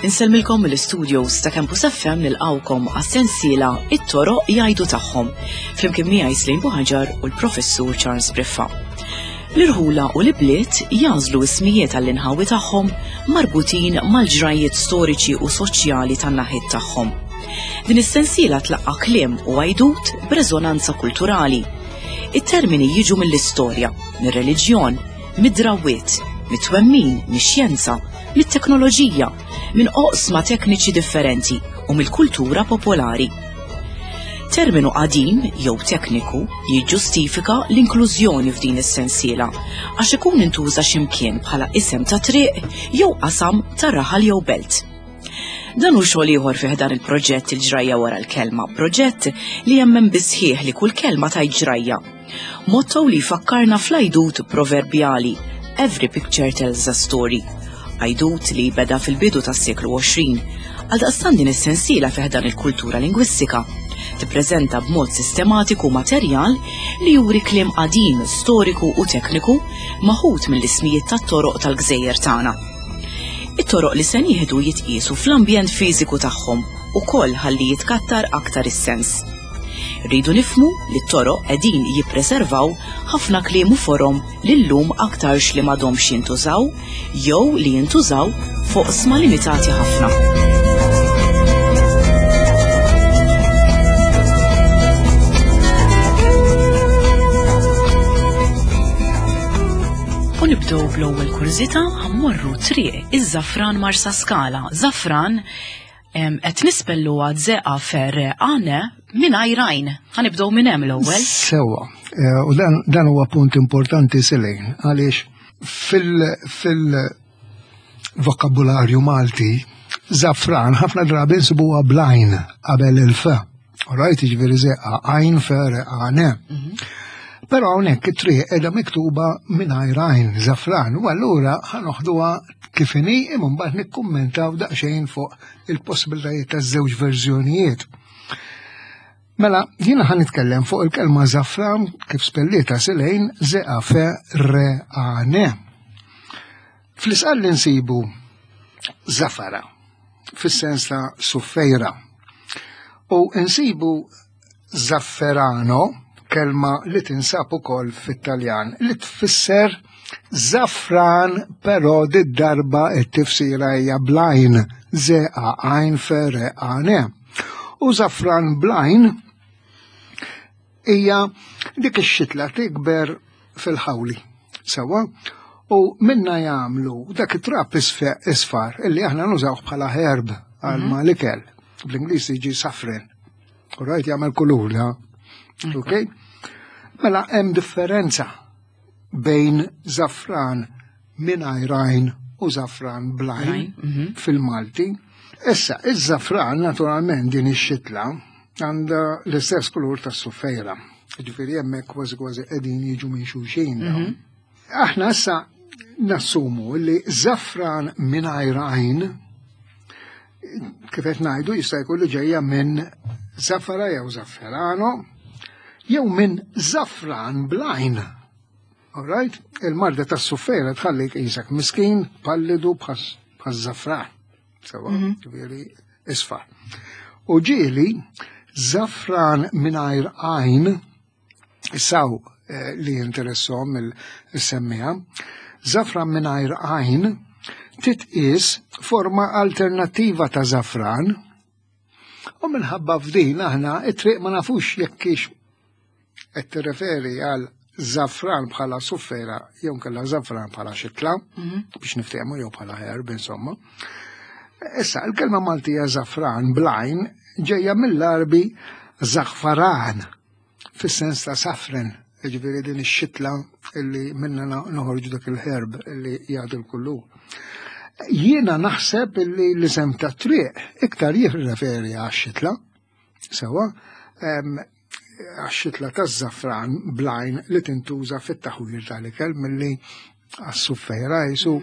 Insellmilkom mill-studios ta' Campus FM nilqawkom għas-sensiela It-toroq jgħidu tagħhom flimkien miegħi Slim Buħaġar u l-Professur Charles Briffa. L-irħula u l-ibliet jagħżlu ismijiet għall-inħawi tagħhom marbutin mal-ġrajjiet storiċi u soċjali tan-naħiet tagħhom. Din is-sensiela tlaqqa' kliem u għajdut b'reżonanza kulturali. It-termini jiġu mill-istorja, mir-reliġjon, mid-drawwiet, mit-twemmin, mix-xjenza, mit-teknoloġija, minn oqsma tekniċi differenti u mill-kultura popolari. Terminu qadim jew tekniku jiġġustifika l-inklużjoni f'din is-sensiela għax ikun intuża x'imkien bħala isem ta' triq jew qasam ta' raħal jew belt. Dan hu xogħol ieħor fih dan il-proġett il-ġrajja wara l-kelma, proġett li jemmen bisħieħ li kull kelma tajt ġrajja. Motto li jfakkarna fl-għajdut proverbjali Every picture tells a story. Għajdut li beda fil-bidu tas-seklu 20. Għaldaqstant din is-sensiela fih dan il-kultura lingwistika tippreżenta b'mod sistematiku materjal li juri kliem qadim, storiku u tekniku maħud mill-ismijiet tat-toroq tal-gżejjer tagħna. It-toroq li se nieħdu jitqiesu fl-ambjent fiżiku tagħhom ukoll ħalli jitkattar aktar is-sens. Rridu nifhmu li t-toroq qegħdin jippreservaw ħafna kliem u forom li llum aktarx li m'għadhomx jintużaw jew li jintużaw f'oqsma limitati ħafna. U nibdew bl-ewwel kurżità ħammorru triq iż-Żafran Marsaskala. Żafran qed nispelluha zeqa fer għane mingħajr għajn. Ħanibdew minn hemm l-ewwel. Sewwa, eh, u dan huwa punt importanti silejn għaliex fil-vokabularju Malti zafran ħafna drabi nsibuha blajn qabel il-f. Rajt jiġifieri zeqa għajn fer għane. Mhm. Però hawnhekk it-triq qiegħda miktuba mingħajr għajn zafran u allura ħanoħduha kif inhi imma mbagħad nikkummentaw daqsxejn fuq il-possibilitajiet taż-żewġ verżjonijiet. Mela, jiena ħan nitkellem fuq il-kelma zafran kif spellieta silejn zeqa fe re a ne. Fl-isqal li nsibu zafara, fis-sens ta' suffejra. U nsibu zafferano, kelma li tinsab ukoll fit-Taljan, li tfisser zaffran però did-darba it-tifsira hija blajn, zeqa għajn fere għane. U zaffran blajn hija dik ix-xitla tikber fil-ħawli. Sewwa, u minna jagħmlu dak it-trab isfar illi aħna nużawh bħala herb għal mhm. ma l-ikel. Bl-Ingliż jiġi safren. U rajt jagħmel kulur, ha? Ok? Mela hemm differenza bejn zafran mingħajr għajn u zafran blajn mhm. fil-Malti. Issa, iż-zafran naturalment din ix-xitla għandha l-istess kulur tas-suffejra. Ġifieri hemmhekk kważi kważi qegħdin jiġu minn xulxin. Mhm. Aħna issa nassumu li zafran mingħajr għajn kif qed ngħidu jista' jkun li ġejja minn zafara jew zafferano jew minn zafran blajn. All right? Il-marda tas-suffera tħallik qisek miskin, pallidu bħaż-żafran. Sewa, mhm. ġifieri isfar. U ġieli żafran mingħajr għajn saw eh, li jinteressom il-semmija, żafran mingħajr għajn titqis forma alternattiva ta' żafran u minħabba f'din aħna it-triq ma nafux jekk hix qed tirreferi għal zafran bħala suffera jew nkella zafran bħala xitla mhm. biex niftehmu jew bħala herb insomma. Issa, il-kelma Maltija zafran blajn ġejja mill-Arbi zaħfaran fis-sens ta' safren, ġifieri din ix-xitla illi minna noħorġu dak il-herb illi jagħti l-kullu. Jiena naħseb illi l-isem ta' triq iktar jirreferi għax-xitla, sewa, għax-xitla taż-żafran blajn li tintuża fit-taħwir tal-ikel milli għas-suffejra jisu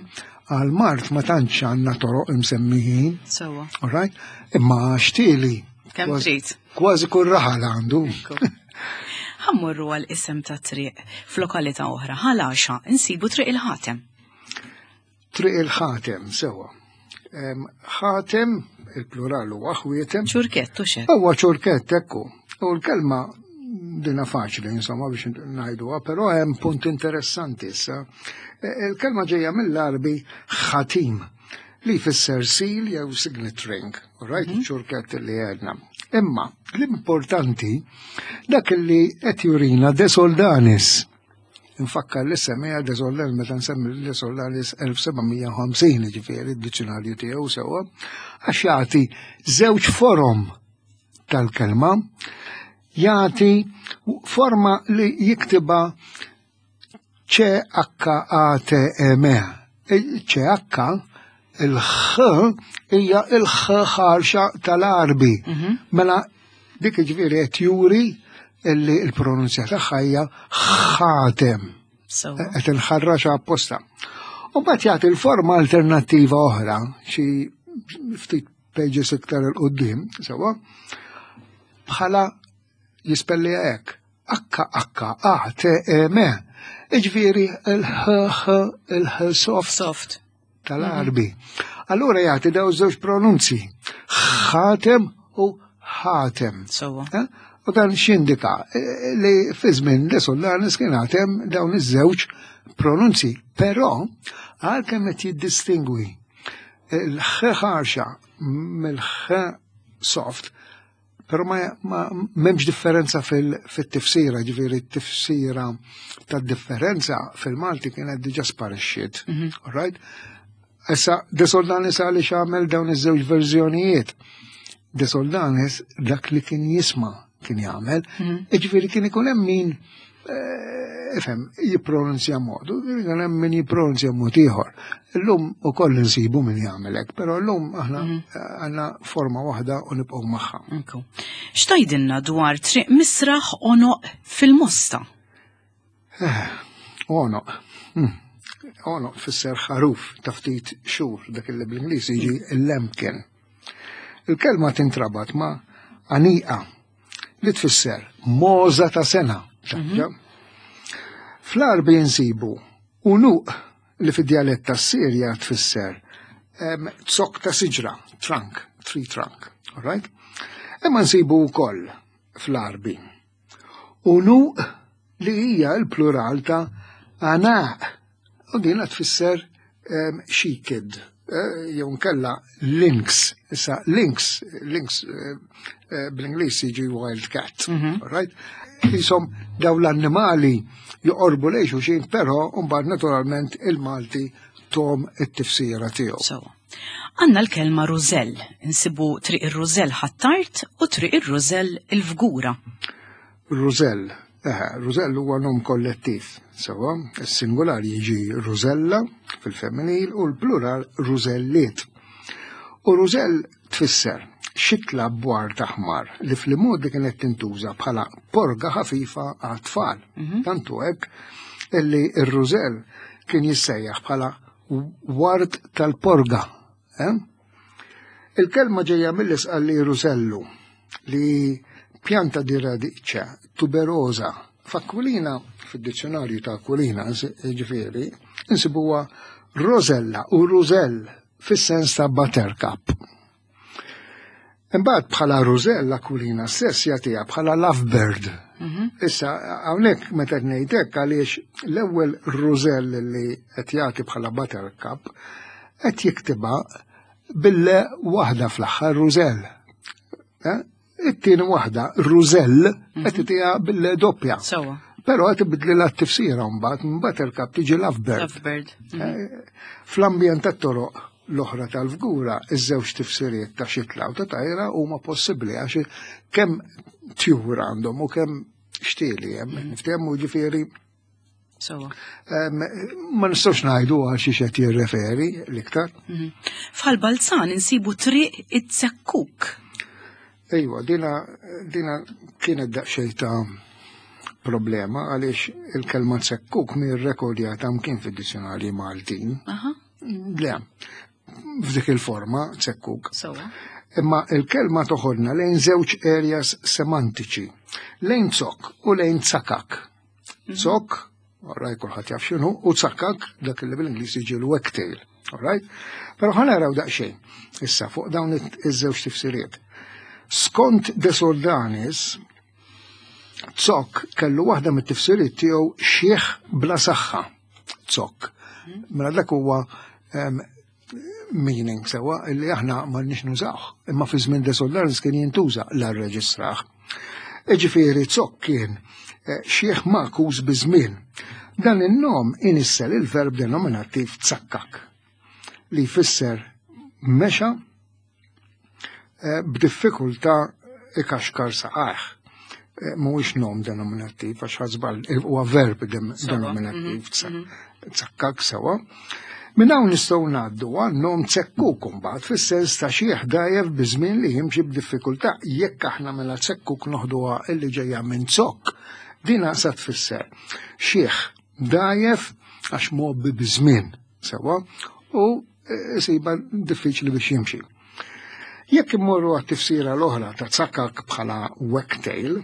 għal mart ma tantx għandna toroq imsemmijin. Sewa. All right? Imma xtieli. Kemm trid. Kważi kull raħal għandu. Ħammorru għal isem ta' triq f'lokalità oħra, Ħal Għaxaq, insibu Triq il-Ħatem. Triq il-Ħatem, sewa. Ħatem, il-plural huwa ħwietem. Ċurkett u xek. Huwa ċurkett, ekku. U l-kelma dina faċli, insomma, biex ngħiduha, però hemm punt interessanti issa. E, il-kelma ġejja mill-Arbi ħatim li jfisser seal jew signet ring, right, mhm. ċurkett li għedna. Imma l-importanti dak li qed jurina De Soldanis Infakkar li semmija De Soldanis meta nsemmi De Soldanis 1750 ġifieri d-dizzjonarju tiegħu sewwa għax jagħti żewġ forom tal-kelma jagħti forma li jiktiba C-H-A-T-M. C-H il-ħ hija il-ħ ħarxa tal-Arbi. Mhm. Mela dik ġifieri qed juri illi l-pronunzja tagħha hija ħatem. Qed inħarraxa apposta. U mbagħad jagħti l-forma alternattiva oħra, xi ftit pages iktar il-qoddim, sewa, bħala jispelli hekk. H H A T E M. Iġifieri il-H H il-H soft. Soft. Tal-Arbi. Allura jagħti daw żewġ pronunzi. Ħatem u ħatem. Sewwa. Eh? U dan x'indika eh, li fi żmien li Solanis kien għatem dawn iż-żewġ pronunzi. Però għalkemm qed jiddistingwi il-ħ ħarxa mill-ħ soft, Pero ma, ma memx differenza fil-tifsira, ġifiri t-tifsira ta' differenza fil-Malti kienet diġa sparixxiet. Mm -hmm. Right? Issa, De Soldanis għaliex għamel dawn iż-żewġ verżjonijiet. De Soldanis dak li kien jisma' kien jagħmel, mm -hmm. ġifieri kien ikun hemm min Eh, ifhem, jippronunzja mod, u kien hemm min jippronunzja mod ieħor. Illum ukoll insibu min jagħmel hekk, però llum aħna mhm. eh, għandna forma waħda u nibqgħu magħha. X'tajdilna dwar triq misraħ onoq fil-mosta? Eh, onoq. Hmm. Onoq fisser ħaruf ta' ftit xhur dak li bl-Ingliż jiġi l-lemken. Il-kelma tintrabat ma' għaniqa li tfisser moza ta' sena. Mhm. Fl-Arbi nsibu unuq li fid-djalett tas-Sirja tfisser zokk ta' siġra, trunk, tree trunk, all right? Imma nsibu wkoll fl-Arbi unuq li hija l-plural ta' anaq u din tfisser she-kid, eh, jew nkella lynx. Issa lynx, lynx eh, eh, bl-Ingliż jiġi wild cat, mhm. right? Jisom daw l-annimali joqorbu lejn xulxin, però mbagħad naturalment il-Malti tom it-tifsira tiegħu. So, għanna l-kelma rużell, insibu triq ir-rużell ħattart u triq ir-rużell il-fgura. Rużell, Eħe, rużell huwa nom kollettiv, sewwa, is-singular jiġi rużella fil-femminil u l-plural rużelliet. U rużell tfisser xitla bwar taħmar li fl-modi kienet tintuża bħala porga ħafifa għat-tfal. Mhm. Tantu hekk illi r-rużell kien jissejjaħ bħala ward tal-porga. Eh? Il-kelma ġejja mill-isqalli rusellu li pjanta di radiċa tuberosa. F'Aquilina, fid-dizzjonarju ta' Aquilina, ġifieri, insibuha rosella u rużell fis-sens ta' buttercup. Imbagħad bħala rużell Aquilina stess jagħtiha bħala lovebird. Mhm. Issa hawnhekk meta ngħid hekk għaliex l-ewwel rużell li qed jagħti bħala buttercup qed jiktibha bille waħda fl-aħħar rużell. Eh? It-tieni waħda rużell mhm. qed itiha bille doppja. Sewa. Però qed ibidli la tifsira mbagħad minn buttercup tiġi lovebird. Lovebird. Mhm. Eh, fl-ambjent tat-toroq l-oħra tal-fgura, iż-żewġ tifsiriet ta' xitla u ta' tajra huma possibbli għax kemm tjur għandhom u kemm xtieli hemm. Mhm. Niftehmu ġifieri Sewa. Ma nistgħux ngħidu għal xi qed jirreferi l-iktar. Mhm. F'Ħal Balzan insibu triq it-Zekkuk. Ejwa, dina, dina kienet daqsxejn ta' problema għaliex il-kelma zekkuk mi rrekordjata mkien fid-dizzjonarji Maltin. Le, f'dik il-forma zekkuk. Sewa. Imma il-kelma toħodna lejn żewġ areas semantiċi, lejn zokk u lejn tsakak. Zokk, alright, kulħadd jaf x'inhu, u tsakak dak li bil-Ingliż jiġi l-wagtail, alright? Però ħa naraw daqsxejn issa fuq dawn iż-żewġ tifsiriet. Skont De Soldanis, zokk kellu waħda mit-tifsiriet tiegħu xieħ bla saħħa. Zokk. Mela dak huwa meaning sewa illi aħna m'għandniex nużawh. Imma fi żmien De Soldanis kien jintuża la rreġistrah. Iġifieri zokk kien xieħ makus biż-żmien. Dan in-nom inissel il-verb denominattiv tsakkak li jfisser mexa b'diffikultà ikaxkar saqajh. Mhuwiex nom denominattiv għax ħażbal huwa verb denominattiv tsakkak sewa. Minn hawn nistgħu ngħaddu għal nom tsekkuk imbagħad fis-sens ta' xi ħdajjef biż-żmien li jimxi b'diffikultà. Jekk aħna mela tsekkuk noħduha illi ġejja minn zokk, din sa tfisser xieħ dajjef għax mgħobbi biż-żmien sewa u isiba diffiċli biex jimxi. Jekk immorru għat-tifsira l-oħra ta' tsakak bħala wagtail,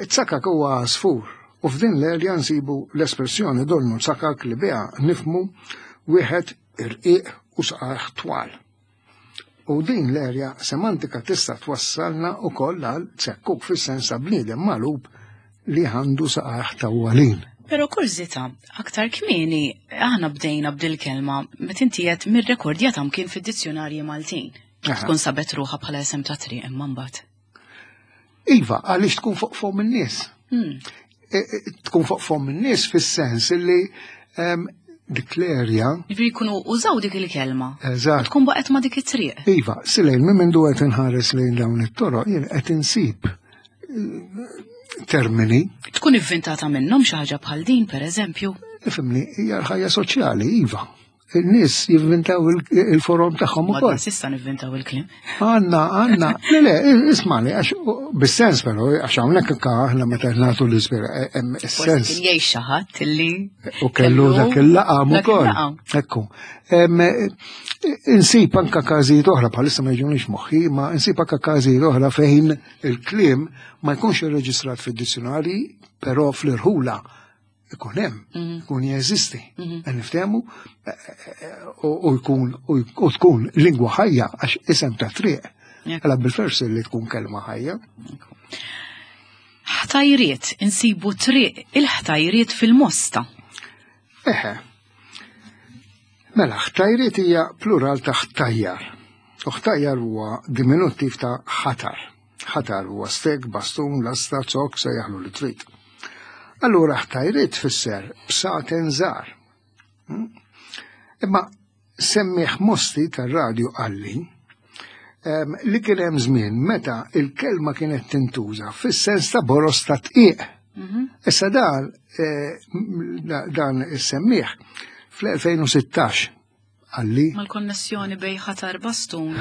tsakak huwa għasfur u f'din l-erja nsibu l-espressjoni donnu tsakak li biha nifmu wieħed irqiq u saqajh twal. U din l-erja semantika tista' twassalna wkoll għal tsekkuk fis-sens ta' bniedem magħlub li għandu saqajh tawwalin. Però kurżità, aktar kmieni aħna bdejna b'dil kelma meta inti qed mir-rekordjata mkien fid-dizzjonarji Maltin. Tkun sabet ruħha bħala isem ta' triq imma mbagħad. Iva, għaliex tkun fuq fom in-nies. Tkun fuq fom in-nies fis-sens illi dik l-erja. Ġifieri jkunu użaw dik il-kelma. Eżatt. Tkun baqgħet ma' dik it-triq. Iva, silejn minn mindu qed inħares lejn dawn it-toroq jien qed insib termini. Tkun ivvintata minnhom xi ħaġa bħal din, pereżempju? Ifhimni, hija l-ħajja soċjali, iva. Il-nies jivvintaw il-forom tagħhom ukoll. Ma sissa nivvintaw il-kliem. Għanna, għanna, le, le, ismani, għax bis-sens però, għax hawnhekk ka aħna meta nagħtu l-ispira, hemm is-sens. Kien jgħix xi ħadd illi U kellu dak il-laqam ukoll. Ekku. Insib anka każijiet oħra bħalissa ma jiġunix moħħi, ma insib anka każijiet oħra fejn il-kliem ma jkunx irreġistrat fid-dizzjonari, però fl-irħula ikun hemm, ikun jeżisti. Niftehmu u jkun u tkun lingwa ħajja għax isem ta' triq. Għala bil-fers li tkun kelma ħajja. Ħtajriet, insibu triq il-ħtajriet fil-Mosta. Eħe. Mela, ħtajriet hija plural ta' ħtajjar. U ħtajjar huwa diminuttiv ta' ħatar. Ħatar huwa stek, bastun, lasta, zokk, sejjaħlu li trid. Allura ħtajriet tfisser bsaten żgħar. Imma semmiħ Mosti tar-radju qalli li kien hemm żmien meta il-kelma kienet tintuża fis-sens ta' boros ta' tqiq. Issa dan is-semmiħ fl-2016 għalli. Mal-konnessjoni bej ħatar bastun u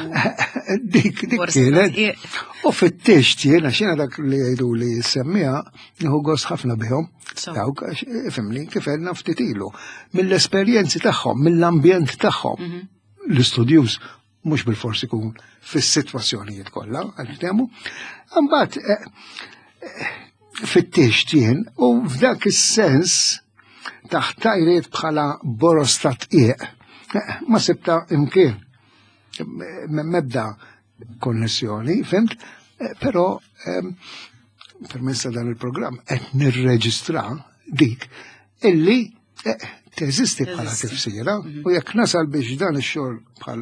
Dik, dik boros ta' kienet. tqiq. U fit-tixt jiena xina dak li jgħidu li semmija, nieħu gost ħafna bihom. Dawk, għax, ifhimni, kif għedna ftit ilu. Mill-esperjenzi tagħhom, mill-ambjent tagħhom. L-istudjuż mhux bil-forsi ikun fis-sitwazzjonijiet kollha, għal-temu. Imbagħad fit-tixt jien u f'dak is-sens taħt tajriet bħala boros ta' tqiq, ma sibta imkien. Mebda konnessjoni, fimt? Però permezz ta' dan il-programm qed nirreġistra dik illi teżisti bħala tifsira u jekk nasal biex dan ix-xogħol bħal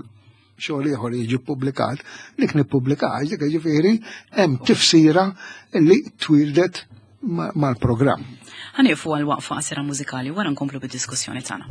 xogħol ieħor jiġi ppubblikat, dik nippubblika għax dik ġifieri hemm tifsira illi twildet mal-programm. Ħanieqfu għal waqfa qasira mużikali wara nkomplu bid-diskussjoni tagħna.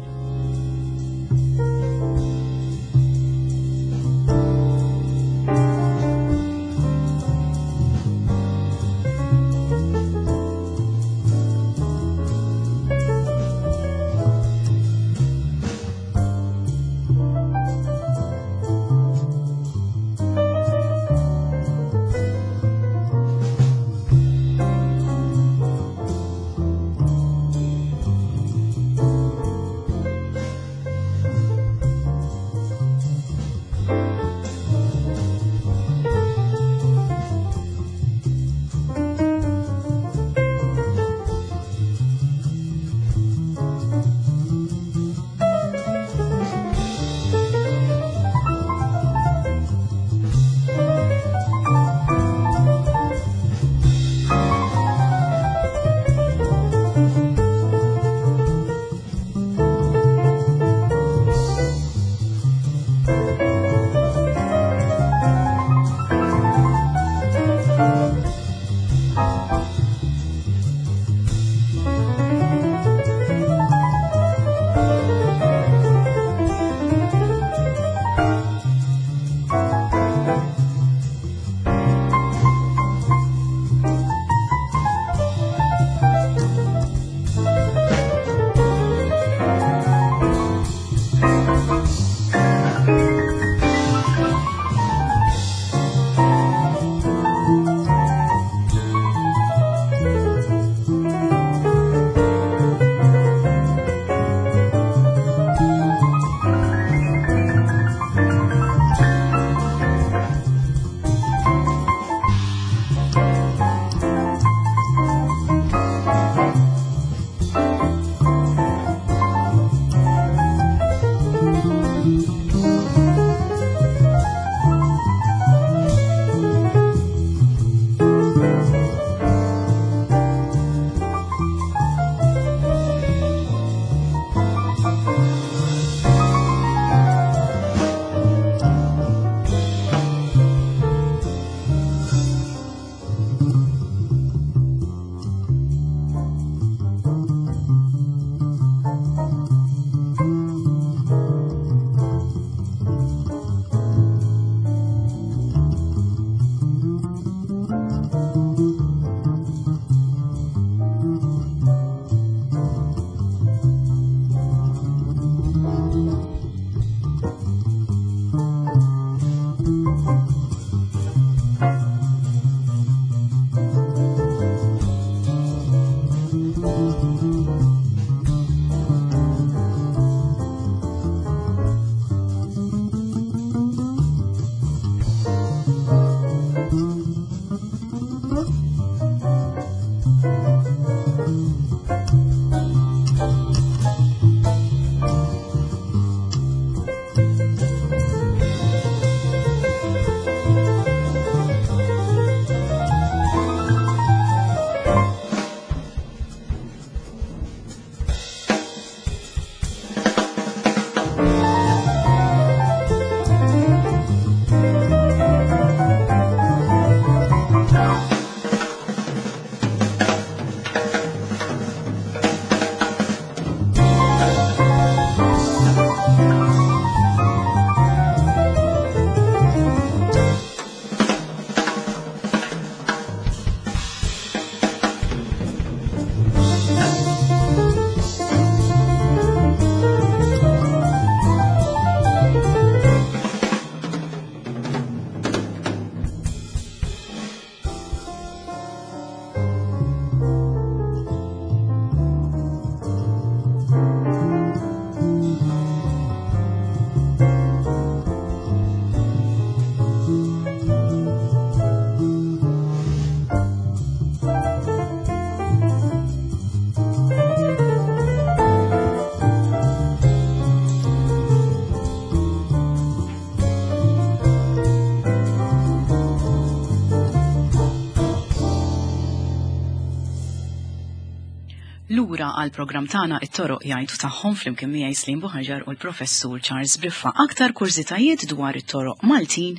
Lura għal programm tagħna it-toroq jgħidu tagħhom flimkien miegħi Slim Buħaġar u l-Professur Charles Briffa. Aktar kurżitajiet dwar it-toroq Maltin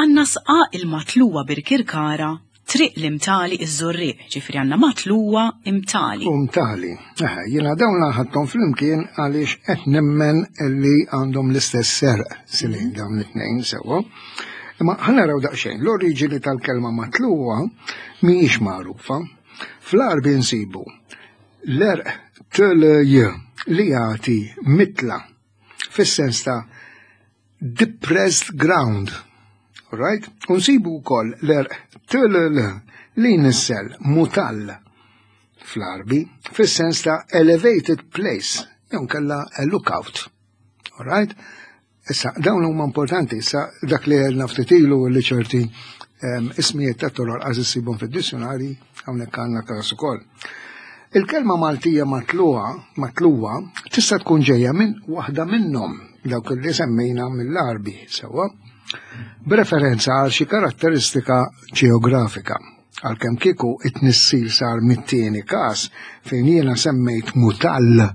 għandna sqa il-matluwa Birkirkara Triq l-Imtali iż-Żurrieq, ġifieri għandna Matluwa Imtali. U Mtali. Eħe, jiena dawn ħadthom flimkien għaliex qed nemmen li għandhom l-istess serq silin dawn it-tnejn sewwa. Imma ħa naraw daqsxejn, l-oriġini tal-kelma matluwa mhijiex magħrufa. Fl-Għarbi nsibu l-erq tl-j li jagħti mitla fis-sens ta' depressed ground. Right? Unsibu wkoll l-erq tll li jnissel mutall fl-Arbi fis-sens ta' elevated place jew kella a lookout. Alright? Issa, dawn huma importanti, issa dak li għedna ftit ilu li ċerti ismijiet ta' toroq għaż issibhom fid-dizzjonari hawnhekk għandna każ ukoll. Il-kelma Maltija matluha, matluwa, tista' tkun ġejja minn waħda minnhom dawk li semmejna mill-Għarbi sewwa, b'referenza għal xi karatteristika ġeografika. Għalkemm kieku it-tnissil sar mit-tieni każ fejn jiena semmejt mutall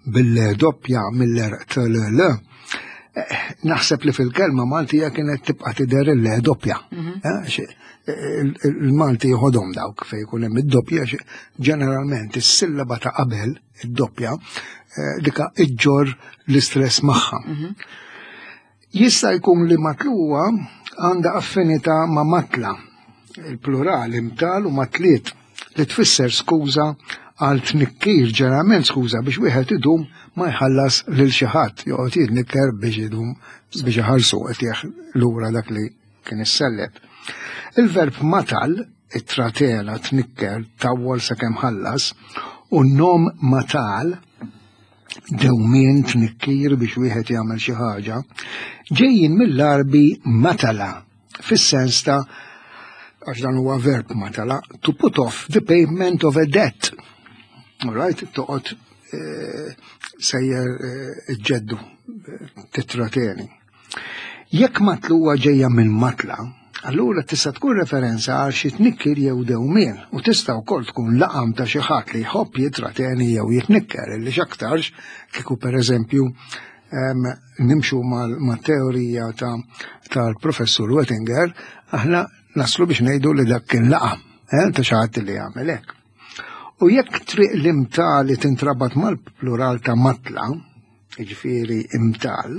bil-le doppja mill-erq tll, eh, naħseb li fil-kelma Maltija kienet tibqa' tidher il-le doppja. Mhm. Eh, il-Malti jħodhom dawk fejn jkun hemm id-doppja ġeneralment is-sillaba ta' qabel id-doppja eh, dika iġġor l-istress magħha. Mhm. Jista' jkun li matluwa għandha affinità ma' matla, il-plural imtal u matliet li tfisser skuża għal tnikkir ġeneralment skuża biex wieħed idum ma jħallas lil xi ħadd joqgħod jitnikker biex idum biex iħallsu qed lura dak li kien issellef. Il-verb matal, it-tratena, tnikker, tawwal sakemm ħallas, u n-nom matal, dewmien tnikkir biex wieħed jagħmel xi ħaġa, ġejjin mill-Għarbi matala, fis-sens ta' għax dan huwa verb matala, to put off the payment of a debt. All right, toqgħod eh, sejjer eh, ġeddu eh, titrateni. Jekk matluwa ġejja minn matla, allura tista' tkun referenza għal xi tnikkir jew dewmien u tista' wkoll tkun laqam ta' xi ħadd li jħobb jitrateni jew jitnikker illi x'aktarx kieku pereżempju nimxu mat-teorija tal-professur Wettinger, aħna naslu biex ngħidu li dak kien laqam eh, ta' xi ħadd li jagħmel hekk. U jekk triq l-imtali tintrabat mal-plural ta' matla, jiġifieri imtal,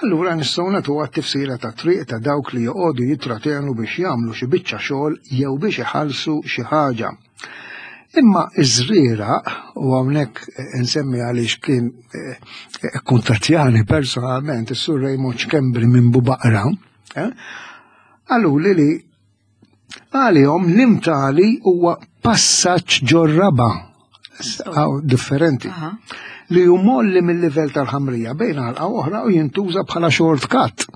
allura nistgħu nagħtuha t-tifsira ta' triq ta' dawk li joqogħdu jittratenu biex jagħmlu xi biċċa xogħol jew biex iħallsu xi ħaġa. Imma iż-żrieraq, u hawnhekk insemmi għaliex kien eh, kuntattjani personalment is-Sur Raymond Schembri minn Bubaqra, eh, qaluli li Għalihom l-imtali huwa passaġġ ġor-raba' differenti li hu molli mill-livell tal-ħamrija bejn għalqa oħra u jintuża bħala shortcut.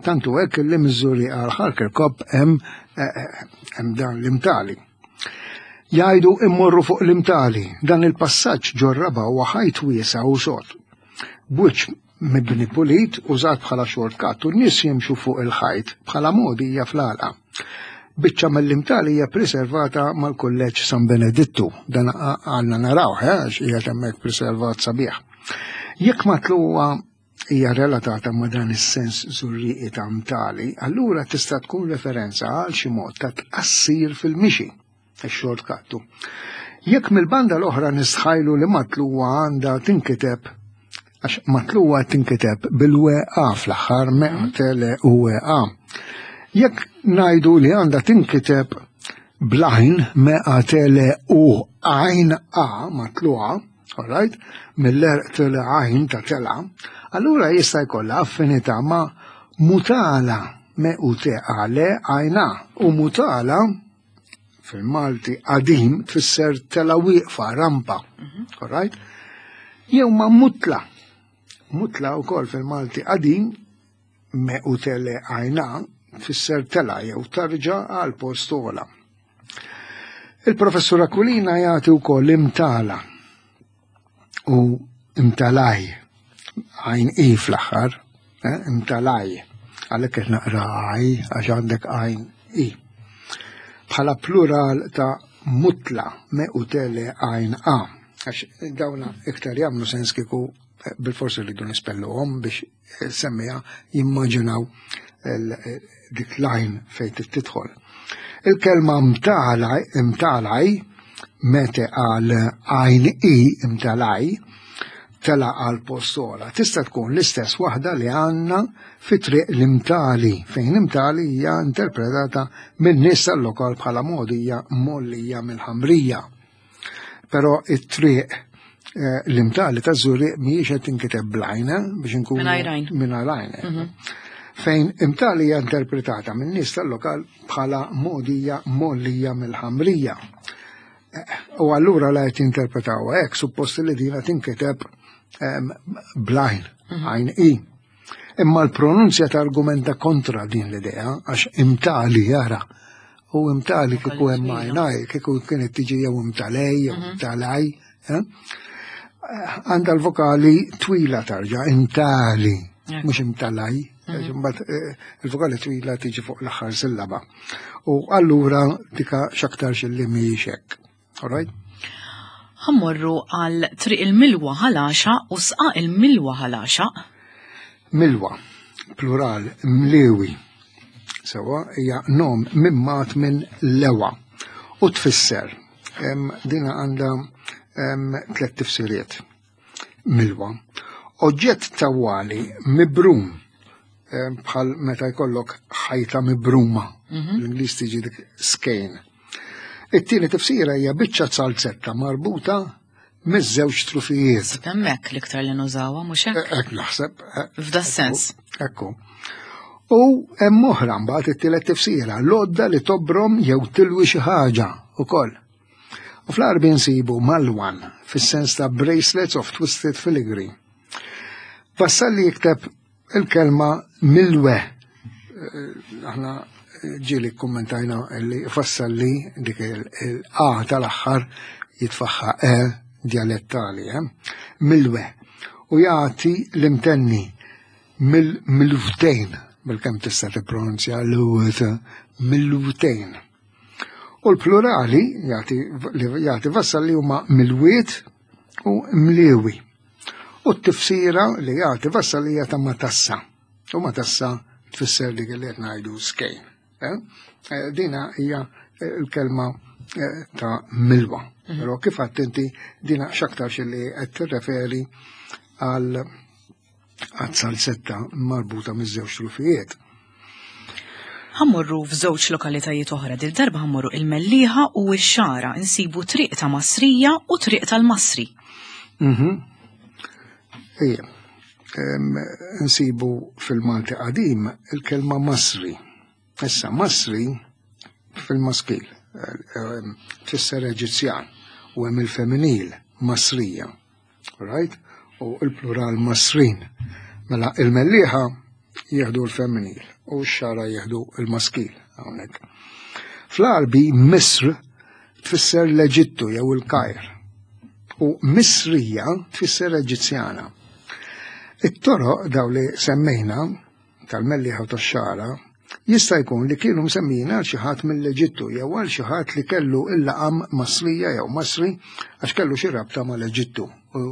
Tantu hekk li Miżżuri għal Ħarkerkop hemm eh, eh, hemm dan l-imtali. Jgħidu immorru fuq l-imtali, dan il-passaġġ ġorraba huwa ħajt wiesa' u sod. B'wiċċ mibni pulit użat bħala shortcut u n-nies jimxu fuq il-ħajt bħala mogħdija fl-għalqa. Biċċa mill-imtali hija preservata mal-Kulleġġ San Benedittu, dan għandna narawh eh, għax qiegħed hemmhekk preservat sabiħ. Jekk matluwa hija relatata ma' dan is-sens żurrieqi ta' mtali, allura tista' tkun referenza għal xi mod ta' tqassir fil-mixi, ix-shortcut. Jekk mill-banda l-oħra nistħajlu li matluwa għandha tinkiteb għax matluwa tinkiteb bil-WA fl-aħħar meqtele u WA. Jekk ngħidu li għandha tinkiteb blajn meqatele u għajn A matluwa, alright, mill-erq tele għajn ta' tela, allura jista' jkollha affinità ma' mutala me u te għale għajna u mutala fil-Malti qadim tfisser tela wieqfa, rampa, alright? Jew ma' mutla. Mutla wkoll fil-Malti qadim me u tele għajna tfisser tela jew tarġa għal post ogħla. Il-professur Aquilina jagħti wkoll imtala u imtalaj għajn i fl-aħħar, eh, imtalaj, għalhekk qed naqra għaj għax għandek għajn i. Bħala plural ta' mutla me u tele għajn a, għax dawna iktar jagħmlu sens kieku eh, bil-forsi rridu nispelluhom biex eh, semmija jimmaġinaw dik l-għajn fejn tidħol. Il-kelma mtalaj, mete għal għajn i mtalaj, tela għal postola. Tista' tkun l-istess waħda li għandna fi triq l-imtali, fejn imtali hija interpretata minn nies tal-lokal bħala mogħdija mollija mill-ħamrija. Però it-triq eh, l-imtali ta' Zurriq mhijiex qed tinkiteb blajna biex inkunu mingħajr għajn. Mhm. Fejn imtali hija interpretata minn nies tal-lokal bħala mogħdija mollija mill-ħamrija. Eh, u allura la qed jinterpretaw hekk suppost li dina tinkiteb ehm, blajn, mhm. għajn i. Imma l-pronunzja ta' argumenta kontra din l-idea, għax imtali jara, u imtali kieku hemm għajnaj, kieku kienet tiġi jew imtalej, jew mhm. imtalaj, eh? għandha l-vokali twila tarġa, imtali, mhux imtalaj, mhm. imbagħad eh, il-vokali twila tiġi fuq l-aħħar sillaba. U allura dika x'aktarx li mhijiex hekk. All right? Ħammorru għal triq il-milwa ħalaxa u sqaq il-milwa ħalaxa. Milwa, plural, mlewi. Sewa, hija nom mimmat minn lewa u tfisser. Dina għandha tlet tifsiriet. Milwa. Oġġett tawwali mibrum bħal meta jkollok ħajta mibruma. Mhm. L-Ingliż tiġi dik skejn. It-tieni tifsira hija biċċa zalzetta marbuta miż-żewġ trufijiet. Hemmhekk l-iktar li nużawha mhux hekk? Eh, hekk naħseb. Eh, F'da sens. Ekku. U hemm oħra mbagħad it-tielet tifsira, l-għodda li tobrom jew tilwi xi ħaġa ukoll. U fl-Għarbi nsibu malwan fis-sens ta' bracelets of twisted filigree. Vassalli jikteb il-kelma milwe. Eh, aħna ġieli kommentajna li fassalli dik il-A tal-aħħar jitfaħħa E dialettali, eh? Milwe. U jagħti l-imtenni mill-milvtejn, bil-kemm tista' tippronunzja l-wt, milvtejn. U l-plurali jagħti vassalli huma milwiet u mliewi. U t-tifsira li jagħti vassalija ta' matassa. U matassa tfisser dik li qed ngħidu skejn. Eh? Eh, dina hija eh, l-kelma ta' milwa. Mhm. Però kif għadt inti dina x'aktarx li qed tirreferi għal għad-salzetta marbuta miż-żewġ trufijiet. Ħammorru f'żewġ lokalitajiet oħra, dil darba ħammorru il-Mellieħa u x-Xagħra, insibu triq ta' Masrija u triq tal-Masri. Mhm. Ejja, nsibu fil-Malti qadim il-kelma Masri. Issa Masri fil-maskil tfisser Eġizzjan u hemm il-femminil Masrija. Right? U il-plural Masrin. Mela il-Mellieħa jieħdu l-femminil u x-Xagħra jieħdu l-maskil hawnhekk. Fl-Għarbi Misr tfisser l-Eġittu jew il-Kajr u Misrija tfisser Eġizzjana. It-toroq daw li semmejna tal-Mellieħa u tax-Xagħra jista' jkun li kienu msemmijin għal xi ħadd mill-Eġittu jew għal xi ħadd li kellu il-laqam Masrija jew Masri għax kellu xi rabta mal-Eġittu u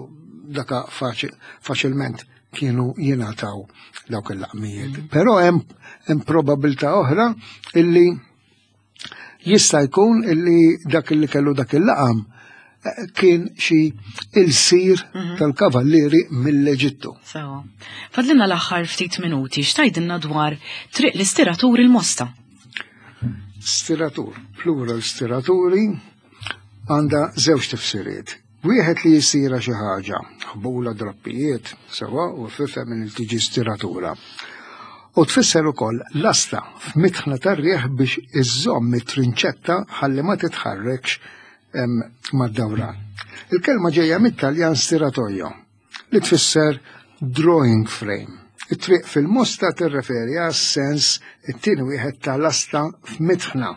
daka faċilment kienu jingħataw dawk il-laqmijiet. Però hemm probabilità oħra illi jista' jkun illi dak illi kellu dak il-laqam eh, kien xi ilsir mhm. tal-kavallieri mill-Eġittu. Sewa. Fadlina l-aħħar ftit minuti x'tajdilna dwar triq l-istiratur il-Mosta. Stiratur, plural stiraturi, għandha żewġ tifsiriet. Wieħed li jistira xi ħaġa, ħbula drappijiet, sewa u fifhem minn tiġi stiratura. U tfisser ukoll lasta f'mitħna tar-riħ biex iżżomm it-trinċetta ħalli ma titħarrekx mad-dawran. Il-kelma ġejja mit-Taljan stiratoio, li tfisser drawing frame. It-triq fil-mosta tirreferi għas-sens it-tieni wieħed ta' lasta f'mitħna.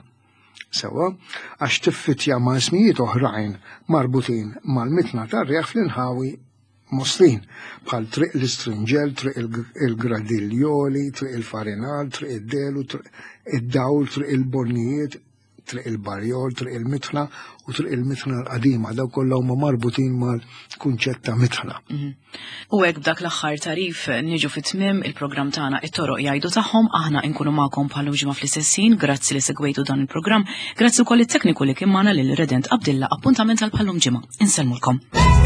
Sewwa, għax tiffitja ma' ismijiet oħrajn marbutin mal-mitna tar-riħ fl-inħawi Mostin, bħal Triq l-Istrinġel, Triq il-Gradiljoli, Triq il-Farinal, Triq id-Delu, Triq id-Dawl, Triq il-Bornijiet, Triq il-Barjol, Triq il-Mitħna u Triq il-Mitħna l-Qadima, daw kollha huma marbutin mal-kunċett ta' mitħna. Mhm. U hekk b'dak l-aħħar tarif niġu fi tmiem il-programm tagħna it-toroq jgħidu tagħhom aħna nkunu magħkom bħal ġimgħa fl-istess grazzi li segwejtu dan il-programm, grazzi wkoll it-tekniku li kien magħna lil Redent Abdilla appuntament għal bħallum ġimgħa. Insellmulkom.